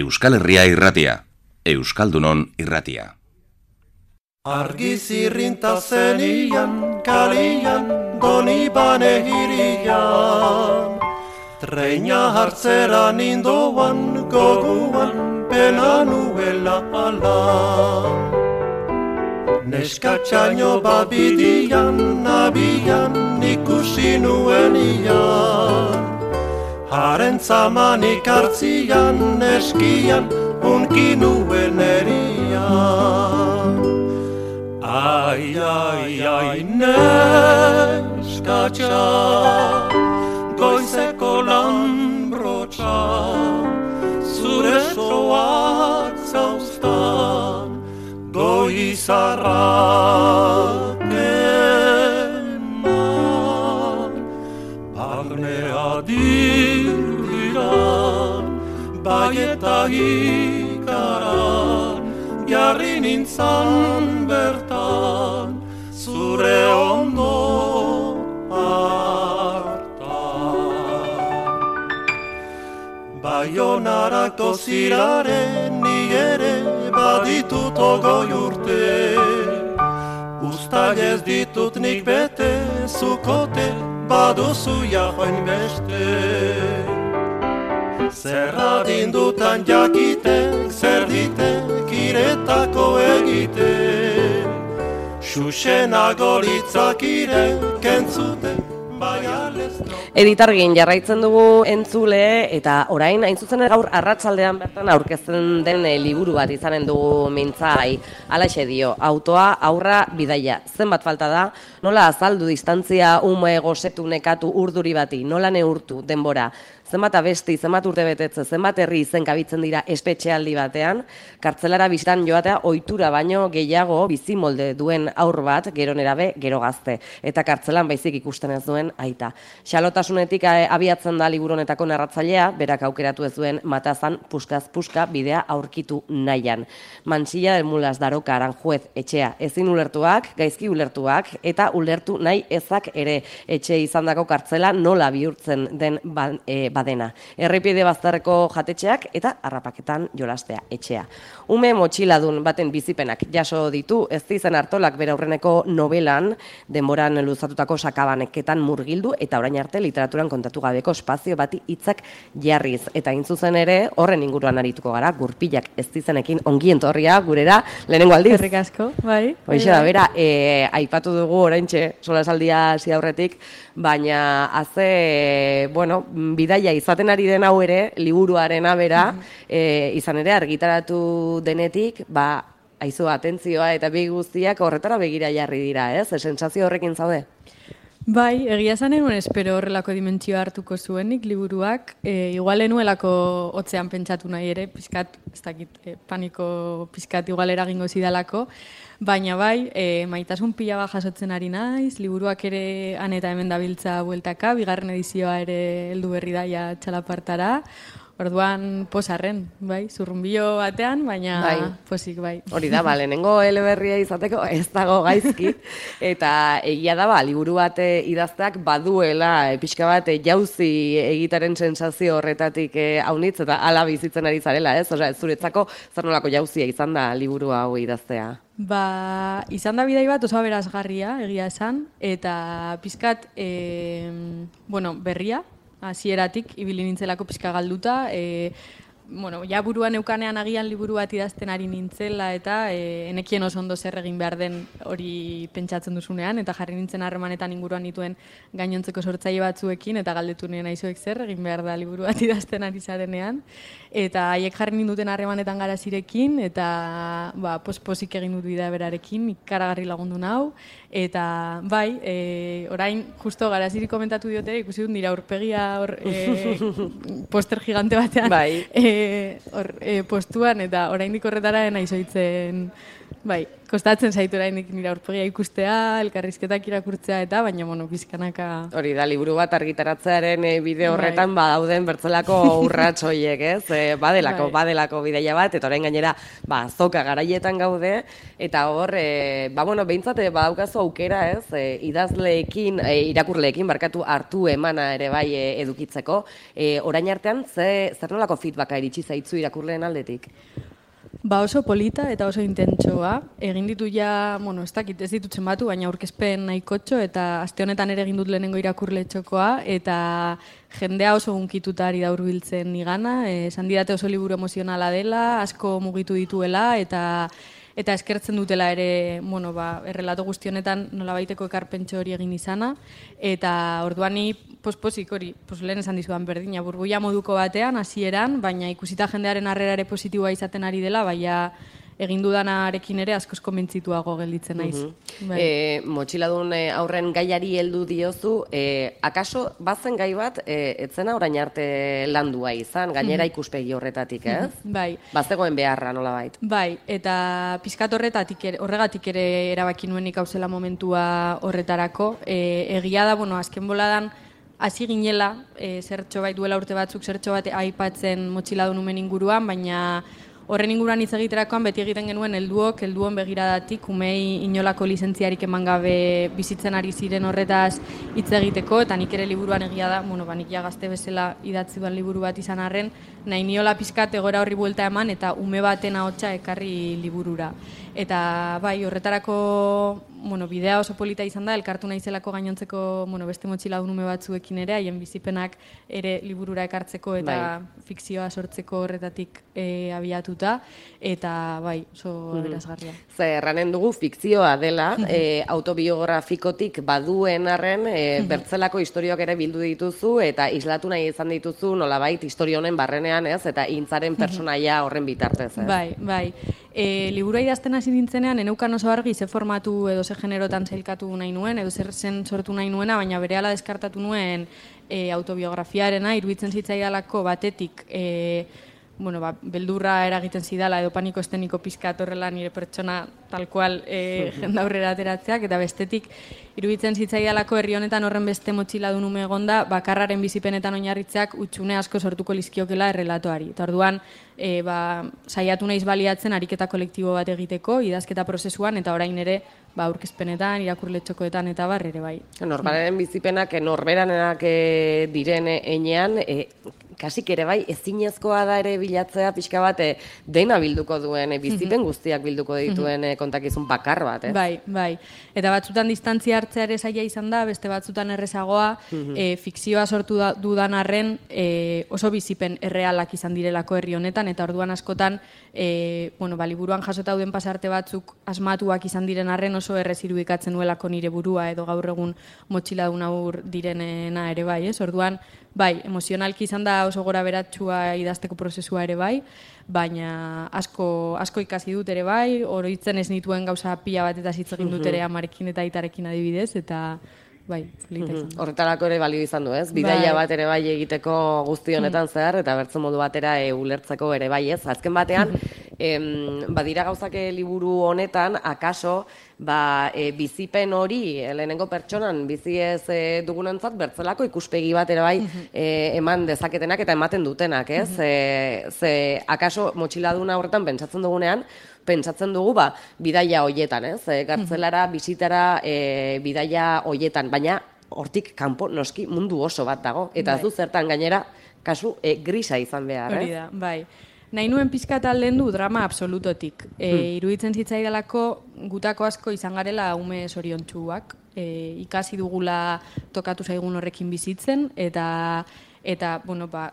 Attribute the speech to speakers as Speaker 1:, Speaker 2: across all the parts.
Speaker 1: Euskal Herria irratia, Euskaldunon irratia.
Speaker 2: Argiz irrinta zenian, kalian, doni bane hirian. Treina hartzera nindoan, goguan, pena nuela alan. Neskatxaino bat bidian, abian, ikusi nuen ian. Haren zamanik hartzian, eskian, unki nuen erian. Ai, ai, ai, neskatxa, goizeko lanbrotxa, zure soak zauztan, goizarrak eman. Barnea dirdiran, bai eta ikaran, jarri nintzan bertan, zure ondo hartan. Baionarako ziraren ni ere baditut ogoi urte, uztail ez ditut nik bete, zukote baduzu jahoin beste. Zer adindutan jakitek, zer ditek iretako egite, xuxenago litzakirek entzuten, bai alezno.
Speaker 3: Editargin jarraitzen dugu entzule, eta orain hain zuzen gaur arratsaldean bertan aurkezten den liburu bat izanen dugu mintzai. Halaxe dio, autoa, aurra, bidaia. Zenbat falta da, nola azaldu distantzia ume gosetu nekatu urduri bati, nola neurtu denbora. Zenbat abesti, zenbat urte betetze, zenbat herri izen kabitzen dira espetxealdi batean, kartzelara bistan joatea ohitura baino gehiago bizimolde duen aur bat, gero nerabe, gero gazte, eta kartzelan baizik ikusten ez duen aita. Xalotasunetik abiatzen da liburu honetako narratzailea, berak aukeratu ez duen matazan puskaz puska bidea aurkitu nahian. Mansilla del Mulas Daroka Aranjuez etxea ezin ulertuak, gaizki ulertuak, eta ulertu nahi ezak ere etxe izandako kartzela nola bihurtzen den badena. Errepide bazterreko jatetxeak eta harrapaketan jolastea etxea. Ume motxiladun baten bizipenak jaso ditu, ez izen Artolak bere aurreneko novelan, denboran luzatutako sakabaneketan murgildu eta orain arte literaturan kontatu gabeko espazio bati hitzak jarriz. Eta intzuzen ere, horren inguruan arituko gara, gurpilak ez izenekin ongien torria gurera, lehenengo aldiz.
Speaker 4: Herrik asko, bai.
Speaker 3: Hoixe da, bera, aipatu dugu oraintxe solasaldia hasi aurretik, baina bidaia izaten ari den hau ere, liburuarena bera, izan ere argitaratu denetik, aizu atentzioa eta bi guztiak horretara begira jarri dira, ez? Sentsazio horrekin zaude?
Speaker 4: Bai, egia esan enuen espero horrelako dimentsioa hartuko zuenik liburuak, igual enuelako hotzean pentsatu nahi ere, pizkat, ez dakit, paniko pizkat igual eragingo zidalako, baina bai, maitasun pila bat jasotzen ari naiz, liburuak ere han eta hemen dabiltza bueltaka, bigarren edizioa ere heldu berri daia txalapartara, orduan posarren, bai, zurrunbilo batean, baina bai. Posik, bai.
Speaker 3: Hori da, lehenengo eleberria izateko ez dago gaizki, eta egia da, liburu bat idazteak baduela, pixka bat jauzi egitaren sensazio horretatik haunitz, eta hala bizitzen ari zarela, ez? Osea, zuretzako zer nolako jauzia izan da liburu hau idaztea?
Speaker 4: Izan da bidai bat oso aberasgarria, egia esan, eta pizkat, berria, hasieratik ibili nintzelako pixka galduta, ja buruan eukanean agian liburu bat idazten ari nintzela eta enekien oso ondo zer egin behar den hori pentsatzen duzunean, eta jarri nintzen harremanetan inguruan nituen gainontzeko sortzaile batzuekin, eta galdetu nien aizuek zer egin behar da liburu bat idazten ari zarenean, eta haiek jarri ninduten harremanetan garazirekin, eta posik egin dut bidea berarekin, ikaragarri lagundu nau, eta bai, orain justo garaziri komentatu diote, ikusi dut nire aurpegia poster gigante batean, postuan, eta oraindik horretara naiz ohitzen bai, kostatzen zaitu oraindik nire aurpegia ikustea, elkarrizketak irakurtzea eta, baina, pizkanaka...
Speaker 3: Hori da, liburu bat argitaratzearen bide horretan dauden bertzelako urrats horiek, ez? Badelako bideia bat, eta orain gainera, azoka garaietan gaude, eta hor, behintzat, badaukazu aukera, ez? Idazleekin, irakurleekin, hartu emana ere bai edukitzeko. Orain artean, zer nolako feedbacka iritsi zaitzu irakurleen aldetik?
Speaker 4: Oso polita eta oso intentsoa. Egin ditu ja, ez ditut zenbatu, baina aurkezpen nahikotxo, eta aste honetan ere egin dut lehenengo irakurle txokoa, eta jendea oso gunkituta ari da hurbiltzen nigana, esan didate oso liburu emozionala dela, asko mugitu dituela, eta eskertzen dutela ere, errelato guzti honetan nolabaiteko ekarpentxo hori egin izana, eta orduan ni pospozik hori, lehen esan dizudan berdina, burbuia moduko batean, hasieran, baina ikusita jendearen harrera ere positiboa izaten ari dela, baina egin dudanarekin ere askoz konbentzituago gelditzen naiz.
Speaker 3: Motxiladun aurren gaiari heldu diozu, akaso bazen gai bat, etzena orain arte landua izan, gainera ikuspegi horretatik, ez?
Speaker 4: Bai.
Speaker 3: Bazegoen beharra nolabait.
Speaker 4: Bai, eta pizkat horregatik ere erabaki nuenik hauzela momentua horretarako. Egia da, azken boladan, hasi ginela, zertxo bai duela urte batzuk, zertxo bat aipatzen Motxiladun umen inguruan, baina horren inguruan hitz egiterakoan beti egiten genuen helduon begiradatik, umei inolako lizentziarik eman gabe bizitzen ari ziren horretaz hitz egiteko, eta nik ere liburuan egia da, nik ja gazte bezala idatzi duan liburu bat izan arren, nahi niola pizkat egoera horri buelta eman, eta ume baten ahotsa ekarri liburura. Eta bai, horretarako bidea oso polita izan da, elkartu naizelako gainontzeko beste Motxiladun ume batzuekin ere, haien bizipenak ere liburura ekartzeko eta fikzioa sortzeko horretatik abiatuta, eta bai, oso aberazgarria.
Speaker 3: Erranen dugu fikzioa dela, autobiografikotik baduen arren, bertzelako historioak ere bildu dituzu, eta islatu nahi izan dituzu nolabait historio honen barrenean, ez, eta hintzaren personaia horren bitartez, ez?
Speaker 4: Bai. Liburua idazten hasi nintzenean, eneukan oso argi ze formatu edo ze generotan zailkatu nahi nuen, edo zer zen sortu nahi nuena, baina berehala deskartatu nuen autobiografiarena, iruditzen zitzaidalako batetik, beldurra eragiten zidala edo paniko esteniko pizkat horrela nire pertsona tal cual jendaurrera ateratzeak, eta bestetik iruditzen zitzaidalako herri honetan horren beste Motxiladun ume egonda, bakarraren bizipenetan oinarritzeak utxune asko sortuko lizkiokela errelatoari. Eta orduan, saiatu naiz baliatzen ariketa kolektibo bat egiteko, idazketa prozesuan, eta orain ere aurkezpenetan, irakurle txokoetan eta bar ere bai.
Speaker 3: Norberaren bizipenak norberanenak diren enean, kasik ere bai, ezinezkoa da ere bilatzea pixka bat dena bilduko duen, bizipen guztiak bilduko dituen kontakizun bakar bat, ez?
Speaker 4: Bai. Eta batzutan distantzia hartzea ere zaila izan da, beste batzutan errezagoa, fikzioa sortu dudan arren oso bizipen errealak izan direlako herri honetan, eta orduan askotan, liburuan jasotauden pasarte batzuk asmatuak izan diren arren oso errez irudikatzen nuelako nire burua edo gaur egun Motxiladun aur direnena ere bai, ez? Orduan, bai, emozionalki izan da oso gora beratxua idazteko prozesua ere bai, baina asko ikasi dut ere bai, oroitzen ez nituen gauza pila bat eta hitz egin dut ere amarekin eta aitarekin adibidez, eta bai, polita izan da.
Speaker 3: Horretarako ere balio izan du, ez? Bidaia bat ere bai egiteko guzti honetan zehar, eta bertzen modu batera ulertzeko ere bai, ez? Azken batean, badira gauzak liburu honetan, akaso, bizipen hori, lehenengo pertsonan, bizi ez dugunentzat, bertzelako ikuspegi bat ere bai eman dezaketenak eta ematen dutenak, ez? Ze akaso Motxiladuna horretan pentsatzen dugunean, pentsatzen dugu bidaia hoietan, ez? Gartzelara, bizitara, bidaia hoietan, baina hortik kanpo noski mundu oso bat dago, eta ez du zertan gainera kasu grisa izan behar, ez?
Speaker 4: Hori da, bai. Nahi nuen pizkat alden du drama absolutotik. Iruditzen zitzaidalako gutako asko izan garela ume zoriontsuak, ikasi dugula tokatu zaigun horrekin bizitzen, eta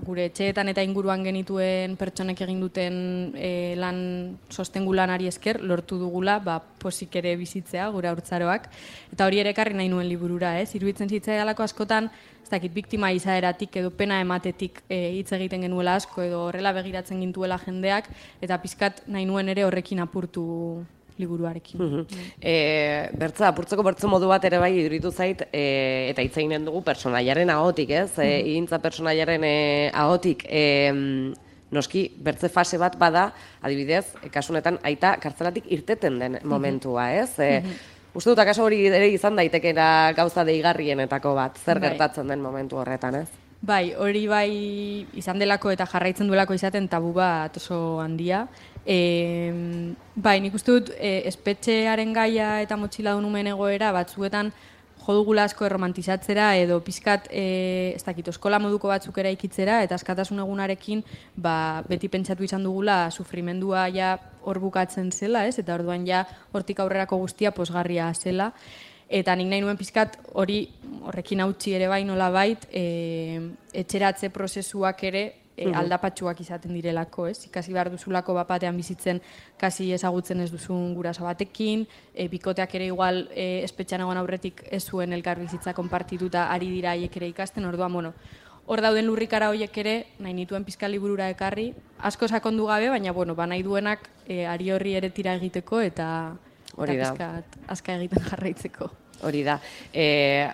Speaker 4: gure etxeetan eta inguruan genituen pertsonek egin duten lan sostengu lanari esker lortu dugula posik ere bizitzea gure haurtzaroak, eta hori ere ekarri nahi nuen liburura, ez? Iruditzen zitzaidalako askotan biktima izaeratik edo pena ematetik hitz egiten genuela asko edo horrela begiratzen gintuela jendeak, eta pizkat nahi nuen ere horrekin apurtu liburuarekin.
Speaker 3: Bertza, apurtzeko bertze modu bat ere bai iduritu zait, eta hitz eginen dugu personaiaren ahotik, ez? Igintza personaiaren ahotik, noski, bertze fase bat bada, adibidez, kasunetan aita kartzelatik irteten den momentua, ez? Uste dut, akaso hori ere izan daitekera gauza deigarrienetako bat, zer gertatzen den momentu horretan, ez?
Speaker 4: Bai, hori bai izan delako eta jarraitzen duelako izaten tabu bat oso handia. Bai, nik uste dut espetxearen gaia eta motxiladun umen egoera batzuetan jodugula asko erromantizatzera edo pizkat, ez dakit, eskola moduko batzuk eraikitzera eta askatasun egunarekin beti pentsatu izan dugula sufrimendua ja hor bukatzen zela, ez? Eta orduan ja hortik aurrerako guztia posgarria zela. Eta nik nahi nuen pizkat horrekin hautsi ere bai nolabait etxeratze prozesuak ere aldapatsuak izaten direlako, ez? Ikasi behar duzulako bapatean bizitzen kasi ezagutzen ez duzun guraso batekin, bikoteak ere igual espetxean egon aurretik ez zuen elkar bizitza konpartituta ari dira haiek ere ikasten, orduan, bueno, hor dauden lurrikara horiek ere nahi nituen pizka liburura ekarri, asko sakondu gabe, baina, bueno, nahi duenak ari horri ere tira egiteko eta pizkat azka egiten jarraitzeko.
Speaker 3: Hori da.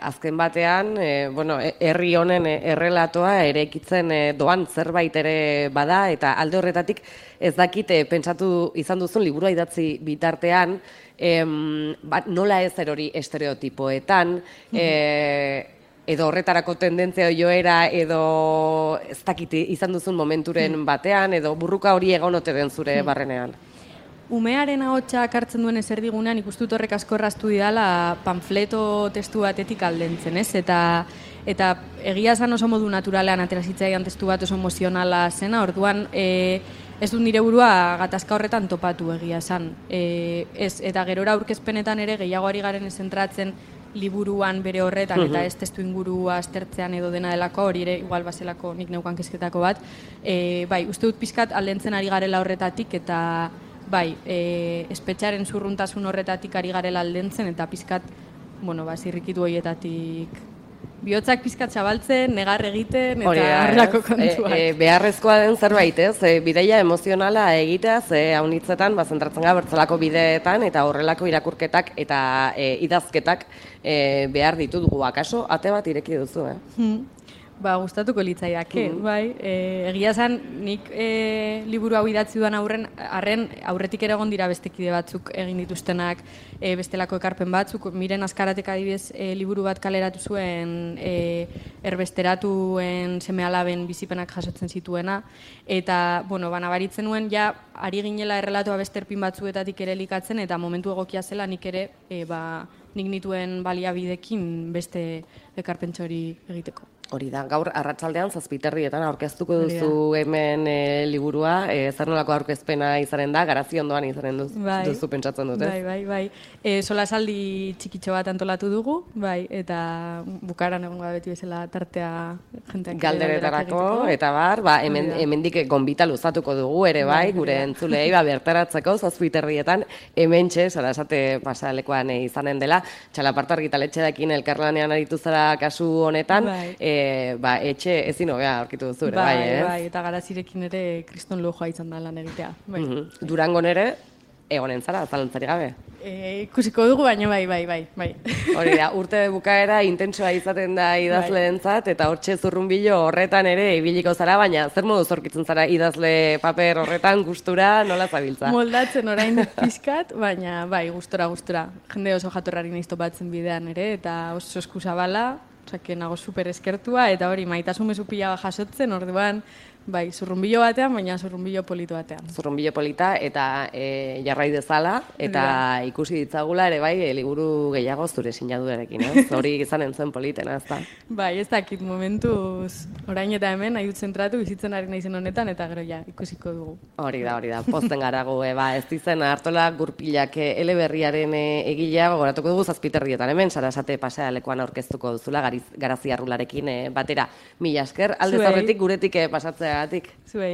Speaker 3: Azken batean, herri honen errelatoa eraikitzen doan zerbait ere bada, eta alde horretatik ez dakit pentsatu izan duzun liburua idatzi bitartean, nola ez erori estereotipoetan, edo horretarako tendentzia joera, edo ez dakit izan duzun momenturen batean, edo burruka hori egon ote den zure barrenean.
Speaker 4: Umearen ahotsak hartzen duen ezerdigunean ikustut horrek asko erraztu didala panfleto testu batetik aldentzen, ez? Eta egia esan oso modu naturalean atera zitzaidan testu bat oso emozionala zena, orduan ez dut nire burua gatazka horretan topatu egia esan. Eta gerora aurkezpenetan ere gehiago ari garen zentratzen liburuan bere horretan eta ez testu ingurua aztertzean edo dena delako, hori ere igual bazelako nik neukan kezketako bat. Bai, uste dut pizkat aldentzen ari garela horretatik eta bai, espetxaren zurruntasun horretatik ari garela aldentzen eta pizkat, zirrikitu horietatik bihotzak pizkat zabaltzen, negar egiten eta horrelako kontuak.
Speaker 3: Beharrezkoa den zerbait, ez? Bideia emozionala egiteaz, haunitzetan, zentratzen gara bertzelako bideetan eta horrelako irakurketak eta idazketak behar ditugu. Akaso, ate bat ireki duzu,
Speaker 4: Gustatuko litzaidake, bai. Egia esan, nik liburu hau idatzi duan arren aurretik ere egon dira beste kide batzuk egin dituztenak bestelako ekarpen batzuk. Miren Azkaratek adibidez liburu bat kaleratu zuen erbesteratuen seme-alaben bizipenak jasotzen zituena. Eta, nabaritzen nuen, ja, ari ginela errelatoa beste erpin batzuetatik ere elikatzen, eta momentu egokia zela nik ere, nik nituen baliabidekin beste ekarpentxo hori egiteko.
Speaker 3: Hori da, gaur arratsaldean 7:00 aurkeztuko duzu hemen liburua, zer nolako aurkezpena izanen da, garazi ondoan izanen duzu pentsatzen dut, ez?
Speaker 4: Bai. Solasaldi txikitxo bat antolatu dugu, bai, eta bukaran egongo da beti bezala tartea jenteak
Speaker 3: galderetarako, eta hemendik gonbita luzatuko dugu ere bai, gure entzulei bertaratzeko 7:00 hementxe, Solasate pasalekoan izanen dela, Txalaparta argitaletxearekin elkarlanean aritu zara kasu honetan, etxe ezin hobea aurkitu duzu ere,
Speaker 4: bai, eta Garazirekin ere kriston lujoa izan da lan egitea.
Speaker 3: Durangon ere, egonen zara, zalantzari gabe?
Speaker 4: Ikusiko dugu, baina bai.
Speaker 3: Hori da, urte bukaera intentsoa izaten da idazleentzat, eta hortxe zurrunbilo horretan ere ibiliko zara, baina zer modu zorkitzen zara idazle paper horretan gustura, nola zabiltza?
Speaker 4: Moldatzen orain pizkat, baina bai, gustora. Jende oso jatorrari naiz topatzen bidean ere, eta oso eskuzabala, nago super eskertua, eta hori maitasun mezu pila jasotzen, orduan, bai, zurrunbilo batean, baina zurrunbilo polito batean.
Speaker 3: Zurrunbilo polita, eta jarrai dezala, eta ikusi ditzagula ere bai, liburu gehiago zure sinadurarekin, hori izanen zen politena, ez da?
Speaker 4: Bai, ez dakit momentuz, orain eta hemen, nahi dut zentratu, bizitzen ari naizen honetan, eta gero ja, ikusiko dugu.
Speaker 3: Hori da, pozten garago, ez dizen Artola Gurpilak eleberriaren egilea, gogoratuko dugu 7:00 hemen, Sarasate pasealekuan aurkeztuko duzula, Garazi Arrularekin batera. Mila esker, alde zaurretik guretik pasatzea. Zuei.